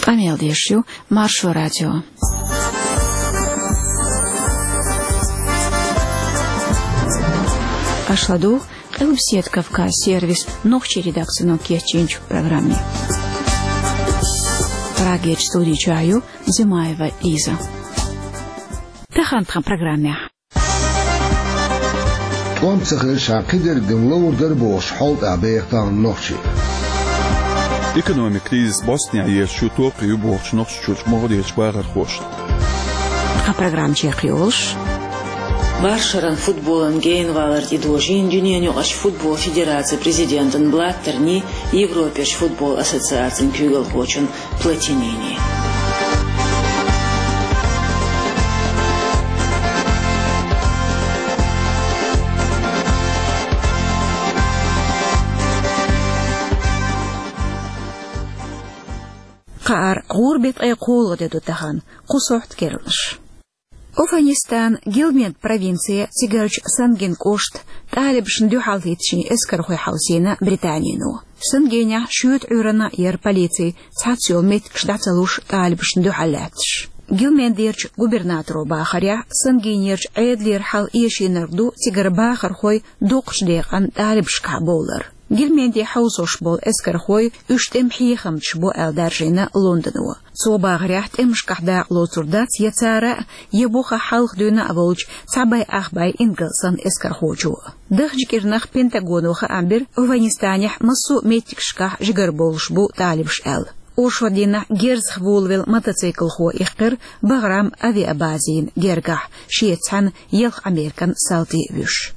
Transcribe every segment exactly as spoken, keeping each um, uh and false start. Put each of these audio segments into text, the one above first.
Къамел деш ю Маршо радио. Аша ладугӀу Къилбаседа Кавказ сервисан нохчийн редакцино кечйинчу программе. Прагерчу студи чохь ю Зимаева Лиза. Тахана тхан программехь. ТӀом ца хилча, кхидерг ловр дара бохуш, хьал тӀехь беха тахана нохчий. Экономикан кризис бӀостанехьа езачу топ ю бохучу Нохчийчуьрчу могӀарерчу бахархошна. Тхан программа чекхйолуш: Маршо радион футболан генавалар тӀедожийна дуьненан юкъарчу футбол федерацин президентан Блаттерни, Европерчу футбол ассоциацин куьйгалхочун Платинини. Кхааран гӀуран беттан ткъе кхоалгӀа де ду тахана, кху сохьта керланаш. Афганистанан Гильменд провинцехь, цигарчу Сангин кӀоштахь, талибашна дуьхьал хӀиттийна эскархой хьовсийна Британино. Сангинехь шоьтан Ӏуьйранна яра полици, цхьацца йолу меттигаш дӀа ца луш, талибашна дуьхьал лаьтташ. Гильмендерчу губернаторо бахарехь, Сангинерчу Ӏедалера хьал эшийнарг ду цигара бахархой дукхачу декъана талибашкахь бовлар. Гильменде хьовсош болу эскархой уьш тӀеман хьехамчаш бу аьлла даржийна Лондоно. Цо бахарехь, тӀемашкахь дакъа лоцур дац я цара а, я бухахь хьалха дуьйна а волчу цхьа бӀе ах бӀе ингалсан эскархочо. Даханчу кӀирнах Пентагоно хаам бира, Афганистанехь массо а меттигашкахь жигара бовлуш бу талибаш аьлла. Оршот дийнахь герзах волавелла мотоциклхо иккхира Баграм авиабазина гергахь, шеца цхьаьна ялх Американ салти а вуьйш.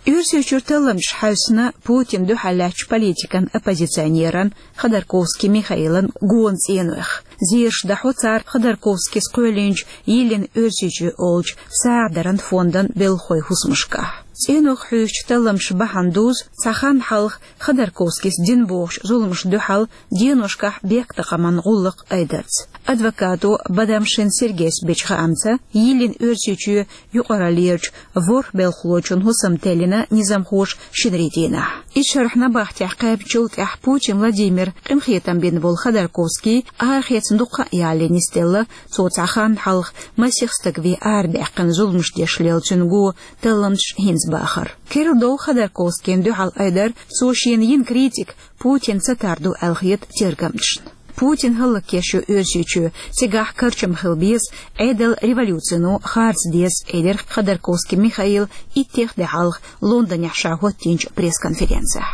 Оьрсийчуьра талламчаш хьаьвсина Путинна дуьхьал лаьттачу политикан оппозиционеран Ходорковский Михаилан гонан цӀенойх. Зераш дахьо цара Ходорковскийс кхоьллинчу «Йиллина Оьрсийчоь» олучу сагӀа даран фондан белхахойн хӀусамашкахь. ЦӀенойх хьуьйсучу талламчаша бахьана дузу цхьа хан хьалха Ходорковскийс дина бохучу зуламашна дуьхьал деношкахь бехктакхаман гӀуллакх айдарца. Адвокато Бадамшин Сергейс бечу хаамца, «Йиллина Оьрсийчоь» юкъараллерчу ворхӀ белхалочун хӀусам теллина низамхоша шинарин дийнахь. Иза шарахь набахтехь кхаьбначул тӀаьхьа Путин Владимира къинхетам бина волу Ходорковский арахецна дуккха а ялале нисделла, цо цхьа хан хьалха масех стаг вен арадаьккхина зуламаш деш лелла цуьнан гон талламчаша хӀинца бахар. Керла дов Ходорковскийна дуьхьал айдар, цо шена йина критика Путинна ца тар ду аьлла хета тергамчашна. Путин хӀаллакъеш ю Оьрсийчоь, цигахь карчам хила беза, Ӏедал революцино харц деза, элира Ходорковский Михаила иттех де хьалха Лондонехь ша хӀоттийначу пресс-конференцехь.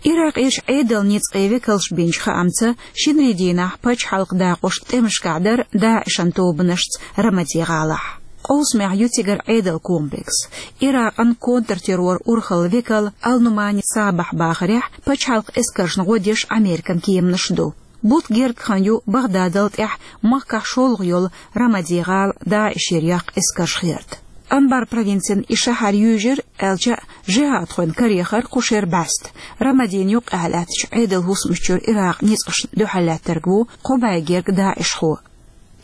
Иракъерчу Ӏедалан ницкъийн векалша бинчу хаамца, шинарин дийнахь пачхьалкхан дакъош тӀемашкахь дара ДАИШан тобанашца Рамади-гӀалахь. Къовсамехь ю цигара Ӏедалан комплекс. Иракъан контртерроран урхалан векал Ал-Нумани Сабахь бахарехь, пачхьалкхан эскаршна гӀо деш Американ кеманаш ду. Бутт герга хан ю Багъдадал тӀаьхьа махкахь шолгӀа йолу Рамади-гӀала ДАИШера яккха эскарш херта. Анбар провинцин и шахьар юьйжира, аьлча а, жихӀадхойн карехар кху шеран бӀаьста. Рамадина юккъехь лаьттачу Ӏедалан хӀусамаш чуьра Иракъан ницкъашна дуьхьал лаьттарг ву кхо бӀе герга даишхо.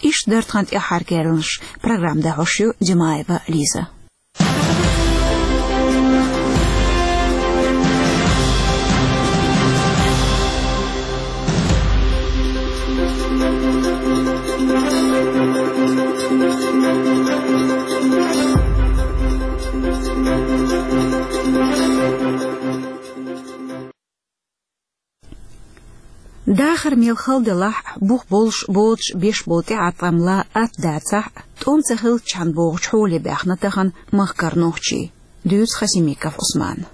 Иштта дара тхан тӀаьххьара керланаш. Программа дӀахьош ю Димаева Лиза. Дахар мел хала делахь а, бух болуш, боцуш беш болу тӀеӀаткъам лан атта дацахь а, тӀом ца хилччхьана бохучу хьоле баьхна тахана махкара нохчий. Дуьйцу Хасимиков Ӏусмана.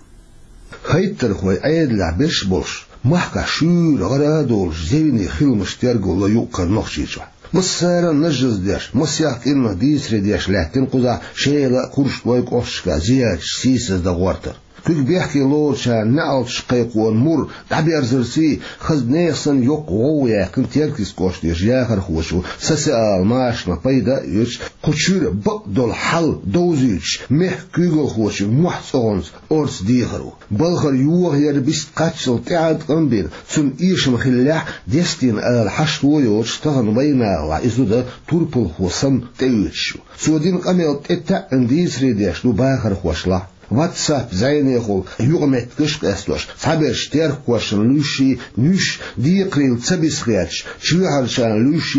Хьайттархой Ӏедалехь берш болуш, махкахь шуьйра гӀара а долуш, зевне хиламаш терго ло юккъера Нохчийчохь. Массара а нажжаздеш, масех кӀирнах дийцаре деш лаьттина кхузахь Шела а, Курчалой а кӀошташкахь зиярташ сийсаздан гӀортар. Куьг бехке лоручарна неӀалташ кхайкхоран мур дӀаберзарций, хаза нехан санна йоккха гӀовгӀа яьккхина Теркйист кӀоштарчу яхархочо социалан машанах пайда а оьцуш, кху чуьра бакъдолу хьал довзуьйтуш, мехкан куьйгалхочун мохь цӀогӀанца орца дехар ву. Балхара йохаяр бист кхаччалц тӀеӀаткъам бина, цунна эшам хиллехь, дестийна ала хьашто йоцуш, тахана вайнахалахь и зуда турпалхо санна тӀеоьцуш ю. Цо дина къамел тӀетаьӀӀина дийцаре деш ду бахархошлахь. WhatsApp зӀенехула юкъаметтигаш а къестош, цхьаберш теркхошна луьйш, нуьш декхарийла ца биса хеташ, чоьхьарчарна луьйш,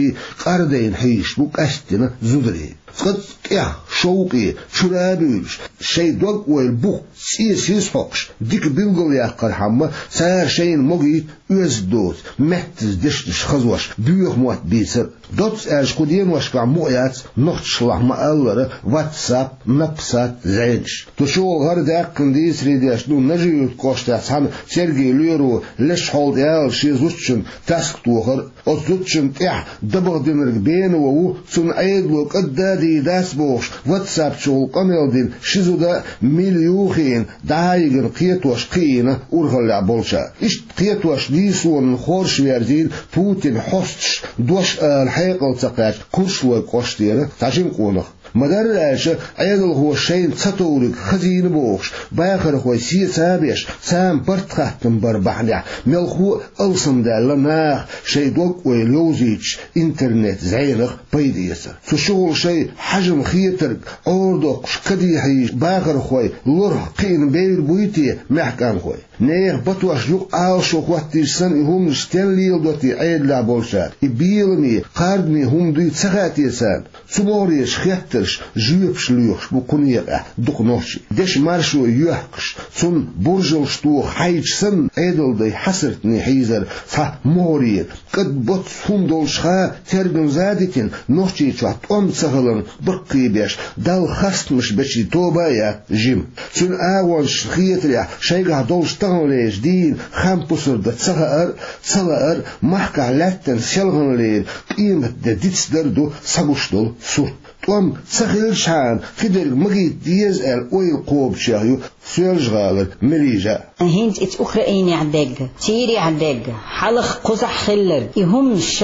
къардайна хьийзаш бу къаьсттина зударий. Цкъацкъа тӀех шовкъе чура а буьйлуш, шайн дог-ойла бух цӀе сиз хьокхуш, дика билгалъяккхархьама, цара шайна могийта оьзда доцу, меттаза дешнаш хазош, боьха мотт бийцар а. Доцца аьлча, кху деношкахь мукъаяц нохчашлахь ма-аллара WhatsApp, Напсат зӀенаш. Цу чухула хӀара даьккхина дийцаре деш ду Нажи-Юьртан кӀоштахь цхьана цергийн лоьро леш хьолда яьлла шен зудчун таск тохар а. Оцу зудчунна тӀехь дабагӀа динарг бена ван ву, цунна Ӏедало кӀадда а дийр дац бохуш, WhatsApp чухула къамел дина ши зуда а мила юха хиъна, дӀа а йигина кхетош кхиийна урхаллехь болчара. Иштта кхетош нийсонан хорша верзийна Путинан хьосташа дош ала хьекъал ца кхаьчна Куршлойн кӀоштера цхьа жима къонах. Ма-дарра аьлча, Ӏедалхоша шайна ца товриг хазийна бохуш, бахархой сеца а беш, царна барт хаттам бар бахьанехь, мелхо а алсамдаьлла наха шайн дог-ойла йовзуьйтуш интернет зӀенах пайда эцар. Цу чухула шайн хьажам хетарг Ӏорадоккхуш, каде хьийзаш бахархой лорах кхиъна бевр буй те мехкан хой? Нехан батош юкъа Ӏалашо хӀоттийча санна, и хӀуманаш стенна леладо те Ӏедалехь болчара? И беламе, кхардаме хӀума дуй ца хаьа те царна? Цу могӀарерчу хеттаршна жоьпаш лоьхуш бу кху некъехь дукха нохчий. Дешан маршо йоьхкуш, цунна буржалш тоха хьайча санна, Ӏедалан дай хьасартане хьийзара цхьа могӀарера. КӀадбоццу хӀума долчуха тергамза а дитина, Нохчийчохь тӀом ца хиларна баккхийбеш, Далла хастамаш бечийн тоба а яц жима. Цуьнан агӀончашна хетарехь, шайгахь долуш таханлерчу дийнан хам пусар дан ца хаар а, ца лаар а, махкахь лаьттан селхана лерина къематде дицдар а ду схьагуш долу сурт. ТӀом ца хилчхьана, кхидерг магийта деза аьлла ойла кхобучех ю Соьлжа-ГӀалара Мелижа. ХӀинца иза Украинехь дерг, Сирехь дерг, хьалха кхузахь хилларг, и хӀуманаш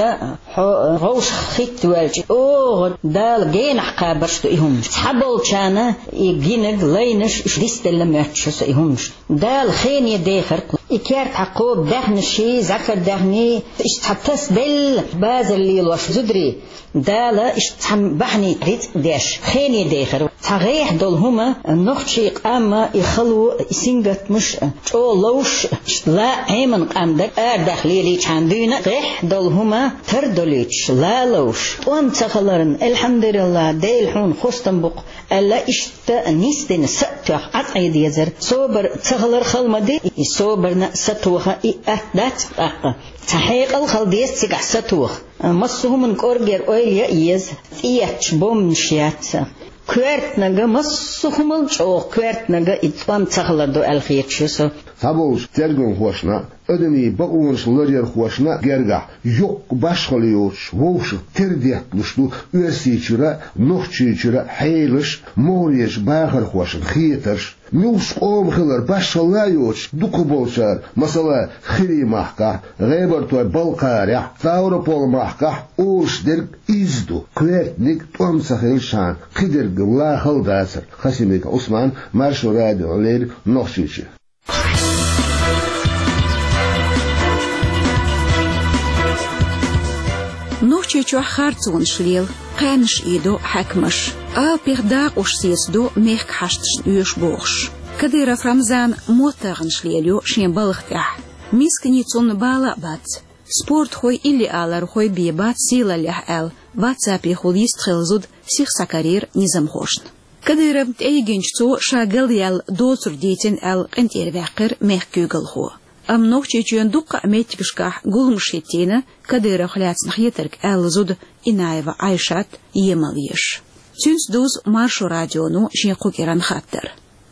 хьо вовшахтоьхна воьлча, оха Дала генахь кхабарш ду и хӀуманаш. Цхьаболчарна и гинарг, лайнарш, уьш дицделла моьттуш ю со и хӀуманаш. Дала хене дехар кху. И кертахь кхобу даьхнаший, зӀакар даьхний, иштта цхьа тасаделла базар лелош зударий. Дала иштта цхьана бахьанийца рицкъ деш, хене дехар. Цхьа гӀехьа долу хӀума нохчийн къам, и хало, и сингаттамаш чӀогӀа ловш, иштта лаа Ӏемина къам дара, арадаха лелийчхьана дуьйна, гӀехьа долу хӀума тардолуьйтуш, лаловш, тӀом ца хиларна, «Элхьамдулиллах, Дела хьуна хастам бу-кх», аьлла, иштта нисдина са а тоьхна Ӏад Ӏе дезара. Собар ца хилар хала ма ду, и собарна а, сатоха и атта дац-кх тӀаккха. Цхьа хьекъал хила деза цигахь сатоха. Массо а хӀуманна кӀоргера ойла ян а еза, тӀеетташ бомбанаш яц. Коьртаниг, массо а хӀумал чӀогӀа коьртаниг и тӀом ца хилар ду аьлла хеташ ю со. Цхьаболчу тергамхошна а, адамийн бакъонаш ларъярхошна а гергахь, йоккха башхалла йоцуш, вовшах тера детталуш ду Оьрсийчуьра а, Нохчийчуьра а хьелаш а, могӀарерчу бахархошна хетарш а. Муьлххачу къоман хилар башхалла а йоцуш, дукхахболчара, масала, Хирий-махкахь, ГӀебартойн Балкхарехь, Ставрополь-махкахь олуш дерг изза ду: коьртаниг тӀом ца хилчхьана, кхидерг лан хала дацара. Хасимиков Ӏусман, Маршо радиона леррина, Нохчийчоь. Нохчийчохь харцонаш лела, кхаьнаш ийдо хьаькамаш, алапех дакъош сецадо мехкан хьашташна оьшу бохуш. Кадыров Рамзана мотт-агӀонаш лелайо шен балха тӀехь. Мисканийн цунна бала а бац. Спортхой, иллиалархой бен бац сийлаллехь аьлла, ватсапехула йистхилла зуда сиха схьакарийра низамхошна. Кадыровна тӀейигинчу цо ша галъяьлла доцург дийцина аьлла, къинтӀера ваьккхира мехкан куьйгалхо. Амма Нохчийчоьнан дуккха а меттигашкахь гуламаш хӀиттийна Кадыровх лаьцна хетарг аьлла зуда Инаева Ӏайшат емал еш. Цуьнца дузу Маршо радионо шен кху кӀиранан хаттар.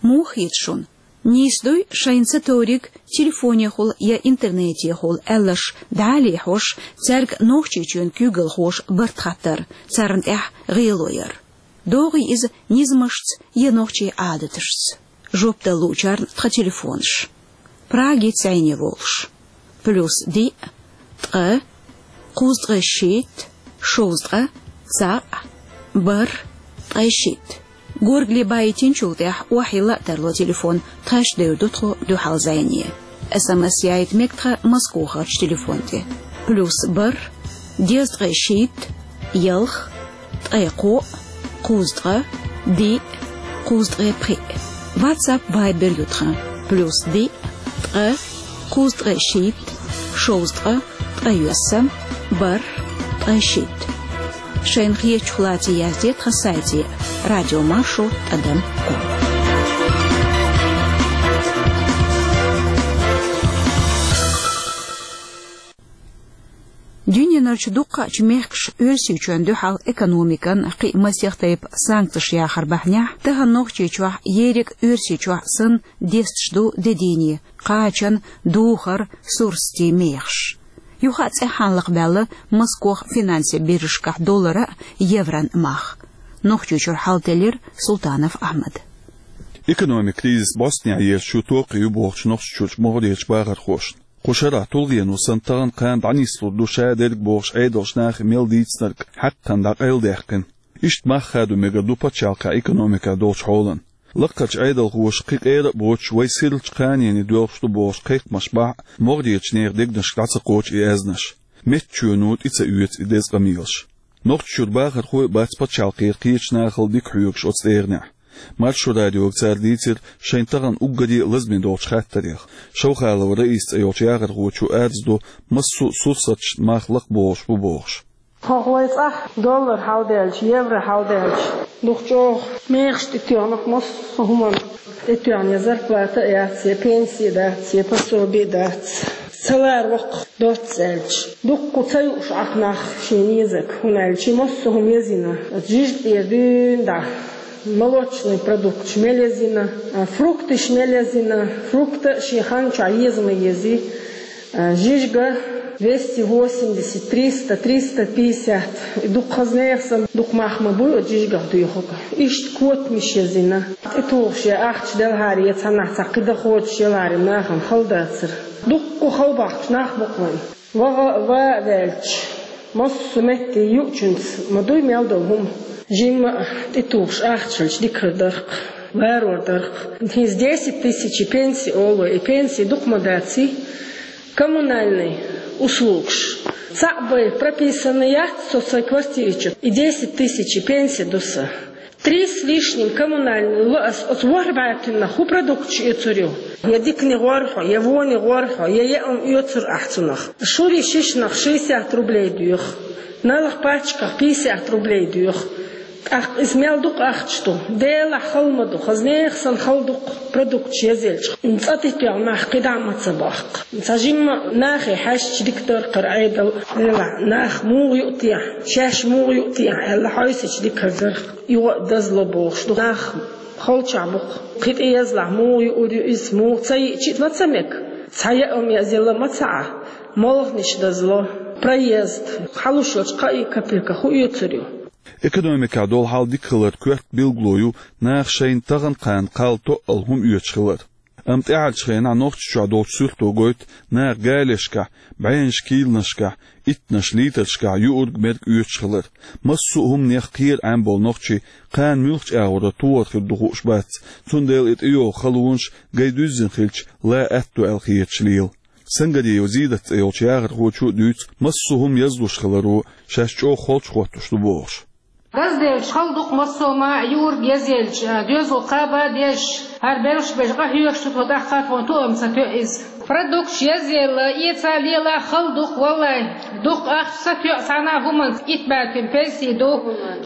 Муха хета шуна? Нийса дуй шайна ца товриг телефонехула я интернетехула аьлларш дӀа а лехьош, цаьрга Нохчийчоьнан куьйгалхоша барт хаттар, царна тӀехь гӀело яр? ДогӀий иза низамашца я нохчийн Ӏадаташца? Жоп дала луучарна тхан телефонаш. Прагица зӀене волуш: плюс диъ, ткъа, кхузткъе шийтта, шовзткъа, цхьаъ, бархӀ, ткъе шийтта. Горгали баийтинчул тӀаьхьа охьайилла а тарло телефон, тхаьш девр ду тхо дуьхьал зӀене. СМС яийта мега тхан Москвахарчу телефон тӀе: плюс бархӀ, дезткъе шийтта, ялх, ткъе кхоъ, кхузткъа, диъ, кхузткъе пхиъ. WhatsApp, Viber ю тхан: плюс диъ, ткъа, кхузткъа шийтта, шовзткъа, ткъайоьсна, бархӀ, ткъайшийтта. Шайна хетачух лаций язде тхан сайте: радиомаршо тӀадам ком. Дуьненарчу дуккхачу мехкаша Оьрсийчоьнна дуьхьал экономикан кхин а масех тайпа санкцеш яхар бахьанехь, тахан Нохчийчохь ерриг а Оьрсийчохь санна десташ ду де дийне, кхачан, духар, сурсатийн мехаш. Юха а цӀеххьана лакхабаьлла Москох финансийн биржашкахь доллара а, евран а мах. Нохчийчуьра хьалтеллира Султанов Ахьмада. Экономикан кризис бӀостанехьа езаш ю токхе ю бохучу Нохчийчуьрчу могӀарерчу бахархошна. Кху шарахь тулгӀено санна тахана кхана дӀанислур ду ша дерг бохуш Ӏедалш нахе мел дийцинарг хьакхана дӀакъайладаьккхина. Иштта мах хадо мегар ду пачхьалкхан экономикехь долчу хьолан. Лакхарчу Ӏедалхоша кхин къера а боцуш, вай серлачу кханене доьлхуш ду бохуш кхайкхамаш бахь а, могӀарерчу нехан дегнашка дӀа ца кхочу и аьзнаш. Меттачоьно тӀе ца оьцу и деза къамелаш. Нохчийчуьра бахархой а бац пачхьалкхера кхечу нахал дика хьоьгуш оцу тӀегӀанехь. Маршо радиога цара дийцира шайна тахана уггаре а лазаме долчу хаттарех. Шовхалов Раиса цӀе йолчу яхархочо арз до, массо а сурсаташна мах лакхабохуш бу бохуш. Хьо вай цӀахь доллар хьалдаьлча, евро хьалдаьлча, дукха чӀогӀа мехаш тӀетоьхна массо а хӀуманна. ТӀетоьхна я зарплата а яц, я пенсия дац, я пособи а дац. Ца лара воккха доцца аьлча, дуккха ца юуш Ӏа нах шен езарг, хӀунда аьлча массо а хӀума езйина, оцу жижиг тӀера дуьйна дӀа. Молочный продукташ мел езйина, а, фрукташ мел езйина, фрукта а шен хан чохь еза ма езий. А, жижига двести восемьдесят, триста, триста пятьдесят. И дукха хаза нехан санна, дукха мах ма буй оцу жижигах доьхург. Иштта котамаш езйина. ТӀетухуш я ахча делахьара, я цхьаннахь цхьа кхин дахочуш елахьара, нахана хала дацара. Дуккха хала бахкаш нах бу-кх вайн. ВагӀа а, ва а ваьлча, массо а метте юучуьнца ма дуй мел долу хӀума. Жимма а тӀетухуш ахча хилча дика хир дара-кх, ларор дара-кх. ХӀинца десять тысяч пенсия олу, и пенсия дукха ма даций, коммунальный услугаш. Цхьаъ бен прописанный яц со сайн квартирачу, и десять тысяч пенсия ду сан. Три с лишним коммунальный ло ас оцу ворхӀ бӀаьргах, хӀун продукташ оьцур ю? Я дикане гӀор хьо, я воне гӀор хьо, я яа хӀума оьцур ахь цунах. Шури шишнах шестьдесят рублей доьху, налах пачках пятьдесят рублей доьху. ТӀаккха иза мел дукха ахча ду? Делахь хала ма ду, хаза нехан санна хала ду-кх продукташ езъелча. ЦӀа тӀетоьхна нах кхидӀа а ма ца бохку. Цхьа жимма нахе хьаьжча дика дара-кх хӀара Ӏедал. Делахь нах муха юу техьа, шаьш муха юу техьа аьлла хьовсича дика хир дара-кх. Юха а дазло бохуш ду. Нах холчохь бу-кх. Кхин тӀеязлахь муха юур ю иза, муха ца йиъча а ма ца мега. Цхьа яа хӀума язъяла ма ца Ӏа. Молханаш дазло, проезд, хьалуш йолчу кхаа капеках хӀун оьцур ю? Экономикехь долу хьал дика хилар коьрта билгало ю наха шайна тахана кхана кхалла тоъал хӀума оьцуш хилар. Амма тӀаьхьарчу хенахь Нохчийчохь долчу суьрто гойту наха галешкахь, бӀеннаш кийланашкахь, иттанаш литрашкахь юург-мерг оьцуш хилар. Массо а хӀуманех кхера Ӏемболу нохчий кхана муьлхачу агӀора тухур хир ду хууш бац, цундела и тӀейогӀу халонаш гай дуьззина хилча ла аьтто аьлла хеташ лела. Сангариев Зидат цӀе йолчу яхархочо а дуьйцу массо а хӀума язлуш хиларо шаьш чӀогӀа холчу хӀоттуш ду бохуш. Газделча хала ду-кх массо а ма а, юург язъелча, доьзал кхаба а дезаш, хӀара белхаш беш къахьоьгуш ду тхо, тӀаккха тхуна тоам ца тоьа иза. Продукташ язъелла, эца лела хала ду-кх, валлай. Дукха ахча ца тоьа цхьана а хӀуманца, итт бӀаьрган пенсий ду,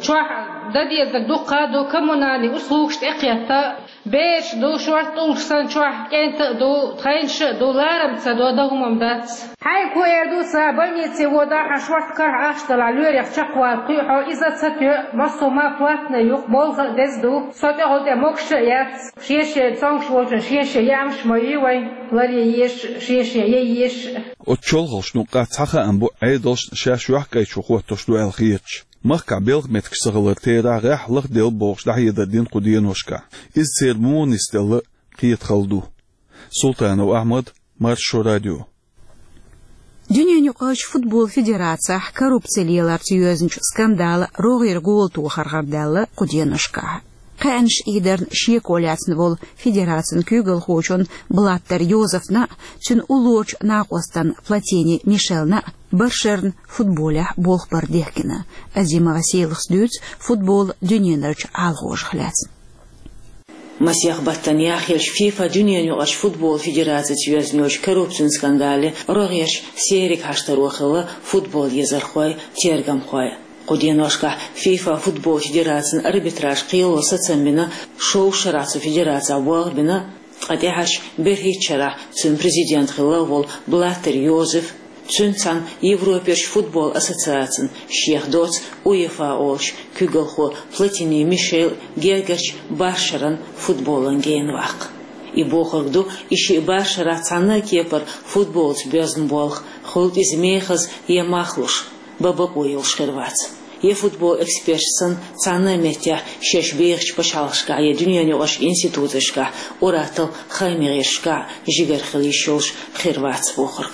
чохь дан дезарг дуккха а ду, коммунальный услугаш тӀекхетта. Бераш ду, шорта тӀулгаш санна чохь кӀентан а ду, тхайнаш а ду, ларам ца до, дан хӀума-м дац. Хьайга хӀун эр ду сан, больнице водахь, хьан шорта карахь ахча далахь, лоьрех чекхвала кхуьу хьо, иза а ца тоьа, массо а ма платный ю-кх, молха а деза ду, со тӀехула тӀе могуш а яц. Шен-шен цомгуш волчун шен-шен яамаш ма ю вайн, ларъе езаш а, шен-шен яйа езаш а. Оцу чолхалшна юккъехь цхьа хаам бу Ӏедалшна шаьш йохкӀайчу хӀоттош ду аьлла хеташ. Махкахь белхан меттигаш ца хилар терахь гӀеххьа лахделла бохуш дӀахьедар дина кху деношкахь. Иза церан муха нисделла кхета хала ду. Султанов Ахьмад, Маршо радио. Дуьненаюкъарчу футбол федерацехь коррупци леларца йоьзначу скандала рогӀера гола тохар гӀардаьлла кху деношкахь. Кхаьънаш ийдарна шеко лаьцна волу федерацин куьйгалхочун Блаттер Йозефна а, цуьнан уллорачу накъостан Платини Мишелна а баршерна футболехь болх бар дехкина. Азимова Селахас дуьйцу футбол дуьненарчу Ӏалахошах лаьцна. Масех баттан яхъелча ФИФА, Дуьненаюкъарча футбол федерацица йоьзна йолча коррупцин скандале рогӀерча серега хьаштаро хилла футбол езархой, тергамхой. Кху деношкахь ФИФА футбол федерацин арбитраж кхело сацам бина, шовзткъа шарахь цу федерацехь болх бина, ткъа тӀаьхьарчу берхӀитта шарахь цуьнан президент хилла волу Блаттер Йозеф, цуьнца цхьаьна Европерчу футбол ассоциацин, шех доцу УЕФА олучу куьйгалхо Платини Мишел гергарчу бархӀ шаран футболан гена ваккха. И бохург ду, и шиъ бархӀ шарахь цхьанна а кепара футболца боьзна болх, хуьлда иза мехаза я мах луш, бан бакъо йолуш хир вац. Я футбол эксперташ санна, цхьанна а меттехь шаьш бехачу пачхьалкхашкахь я дуьненаюкъарчу институташкахь, ур-атталла хаамийн гӀирсашкахь жигара хила йиш йолуш хир вац бохург.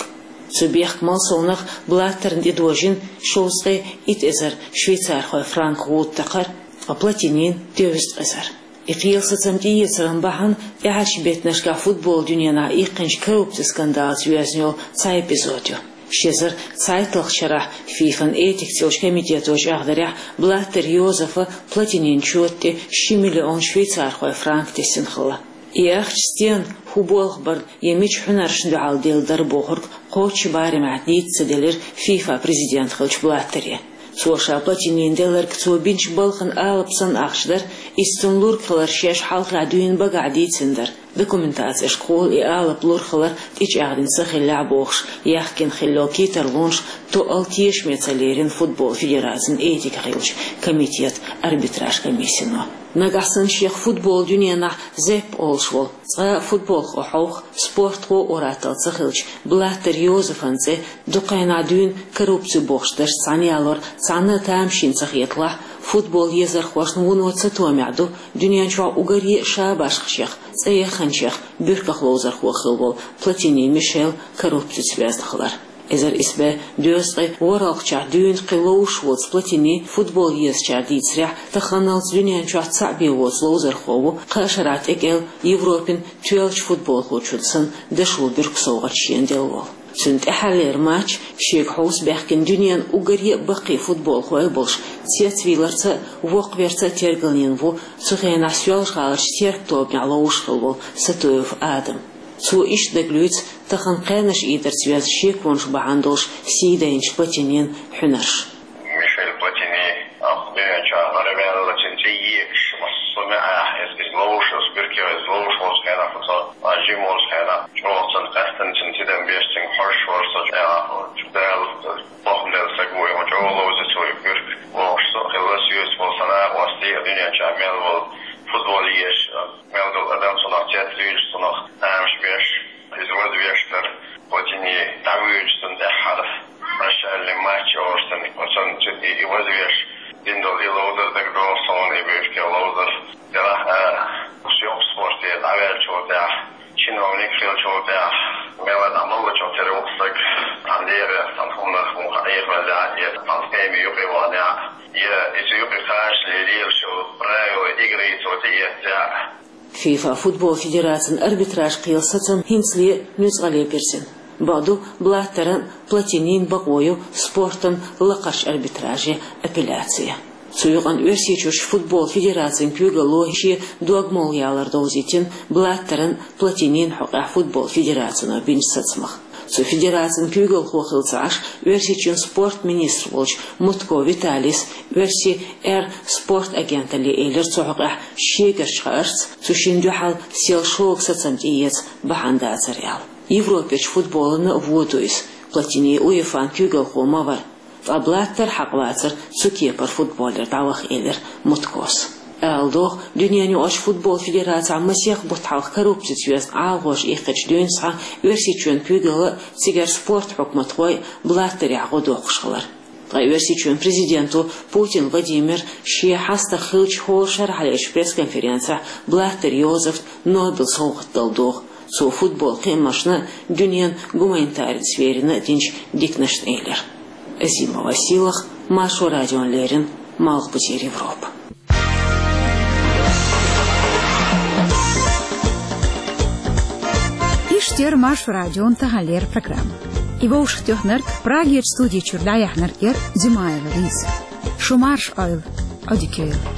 Цу бехк малсовнах Блаттерна тӀедожийна шовзткъе итт эзар швейцархойн франк гӀуда такхар, ткъа Платинина — дезткъа эзар. И кхелан сацам тӀеэцаран бахьана тӀаьхьарчу беттанашкахь футбол дуьненахь иккхинчу коррупцин скандалца йоьзна йолу цхьа эпизод ю. Ши эзар цхьайтталгӀачу шарахь ФИФАн этикаца йолчу комитето чӀагӀдарехь, Блаттер Йозефа Платинин чота тӀе ши миллион швейцархойн франк тесна хилла. И ахча стенна, хӀун болх барна я мича хьуьнаршна дуьхьал делла дара бохург кхоччуш барамехь дийца ца делира ФИФА президент хиллачу Блаттере. Цо ша Платинина делларг цо бинчу балхана алапа санна ахча дара, иза цунна лург хилар шаьш хьалхахь дуьйна багахь дийцина дара. Документацешкахула и алапа лур хилар тӀечӀагӀдина ца хиллехь бохуш, яхкина хилла йолу кхетарлонаш тоъал тешаме ца лерина футбол федерацин этика хиллачу комитетан арбитраж комиссино. Нагахь санна шех футбол дуьненахь Зепп олуш волу, цкъа а футболхо хьовха, спортхо ур-атталла ца хиллачу Блаттер Йозефан цӀе дукха хенахь дуьйна коррупци бохуш дашца цхьаьна ялор цхьанна а тамашийна ца хеталахь, футбол езархошна вуно цатоьхнехь ду, дуьнен чохь уггаре а шабашкхашех, цӀе яханчех буьрках ловзархо хилла волу Платини Мишел коррупцица боьзна хилар. Эзар исс бӀе дезткъе ворхӀалгӀачохь дуьйна кхин ловзуш воцу Платини, футбол езачара дийцарехь, таханалц дуьнен чохь цхьаъ бен воцу ловзархо ву, кхаа шарахь тӀекӀел Европин тоьллачу футболхочунна санна дашо буьркан совгӀат шена делла волу. Цуьнан тӀаьххьарлера матч, шега хьовса баьхкина дуьненан уггаре а баккхий футболхой болуш, цецвийларца а, воккхаверца а тергалнийна ву цу хенахь Соьлжа-ГӀаларчу теркан тобанехь ловзуш хилла волу Сатуев Адам. Цо иштта дагалуьйцу тахана кхаьннаш ийдарца йоьзна шеконаш бахьана долуш сий дайначу Платинин хьуьнарш. Мишель Платини, а, дуьнен чохь гӀарамел а, цуьнан цӀе егаш, массо а маьӀӀехь иза, иза ловзуш, иза буьркех иза ловзуш волчу хенахь, оцу жима волчу хенахь, чӀогӀа цунна къаьстина, цуьнан тидам беш, цуьнга хьожуш волуш, со чӀогӀа, Дала бохам делла стаг ву, и хӀун чӀогӀа ловзу цо и буьрка, бохуш со а хилла, соьца болу сан накъостий а, дуьнен чохь мел волу футбол езаш, мел долу адам цунах цецвуьйлуш, цунах тамаш беш. Иза вазвеш дара, Платини дӀавуьйцуш цунна тӀаьххьара, прощальный матч олуш цунна, оцунна цуьнан и вазвеш дина долу и ловзар дагадогӀу суна, и буьркех ловзар. Делахь а, шен спорте дӀаваьллачул тӀаьхьа, чиновник хиллачул тӀаьхьа, мел а дӀамаллачух тера ву стаг, цхьана лерах, цхьана хӀуманах муха Ӏехавеллехь а, я цхьана схеме юкъе ваханехь а, я иза юкъе кхачале лелаш йолу правила игры цо тӀеэццехь а. ФИФА футбол федерацин арбитраж кхелан сацам хӀинцале нуьцкъале бирзина. Бакъду, Блаттеран а, Платинин а бакъо ю спортан лакхарчу арбитраже апелляция. Цу юкъана Оьрсийчуьрчу футбол федерацин куьйгалло шен дог-молла ялар довзийтина Блаттеран а, Платинин а хьокъехь футбол федерацино бинчу сацамах. Цу федерацин куьйгалхо хилла ца Ӏаш, Оьрсийчоьнан спорт министр волчу Мутко Виталис «Оьрсийн эр» спорт агенталле элира цу хьокъехь шегарчу хаарца, цу шинна дуьхьал сел шога сацам тӀеэца бахьана дацара аьлла. Европерчу футболана а вон ду иза, Платини УЕФАн куьйгалхо ма вара, ткъа Блаттер хьакъ вацара цу кепара футболера дӀаваха, элира Муткос. Ала догӀу, дуьненаюкъарчу футбол федерацехь масех бутт хьалха коррупцица йоьзна Ӏалашонаш иккхича дуьйна схьа Оьрсийчоьнан куьйгалла а, цигара спорт хьукматхой а Блаттерехь гӀо доккхуш хилар. Ткъа Оьрсийчоьнан президенто Путин Владимира шен хьастагӀа хиллачу хӀора шарахь лечу пресс-конференцехь Блаттер Йозефна Нобелан совгӀат дала догӀу, цо футбол кхиамашна а, дуьненан гуманитарни сферина а динчу диканашна элира. Азимова Сийлаха, Маршо радиона леррина, Малхбузера Европа. Иштта яра Маршо радион таханлера программа. И вовшахтоьхнарг, Прагерчу студи чуьра дӀаяьхьнарг яра Димаева Лиза. Шу марша Ӏойла, Ӏодика йойла.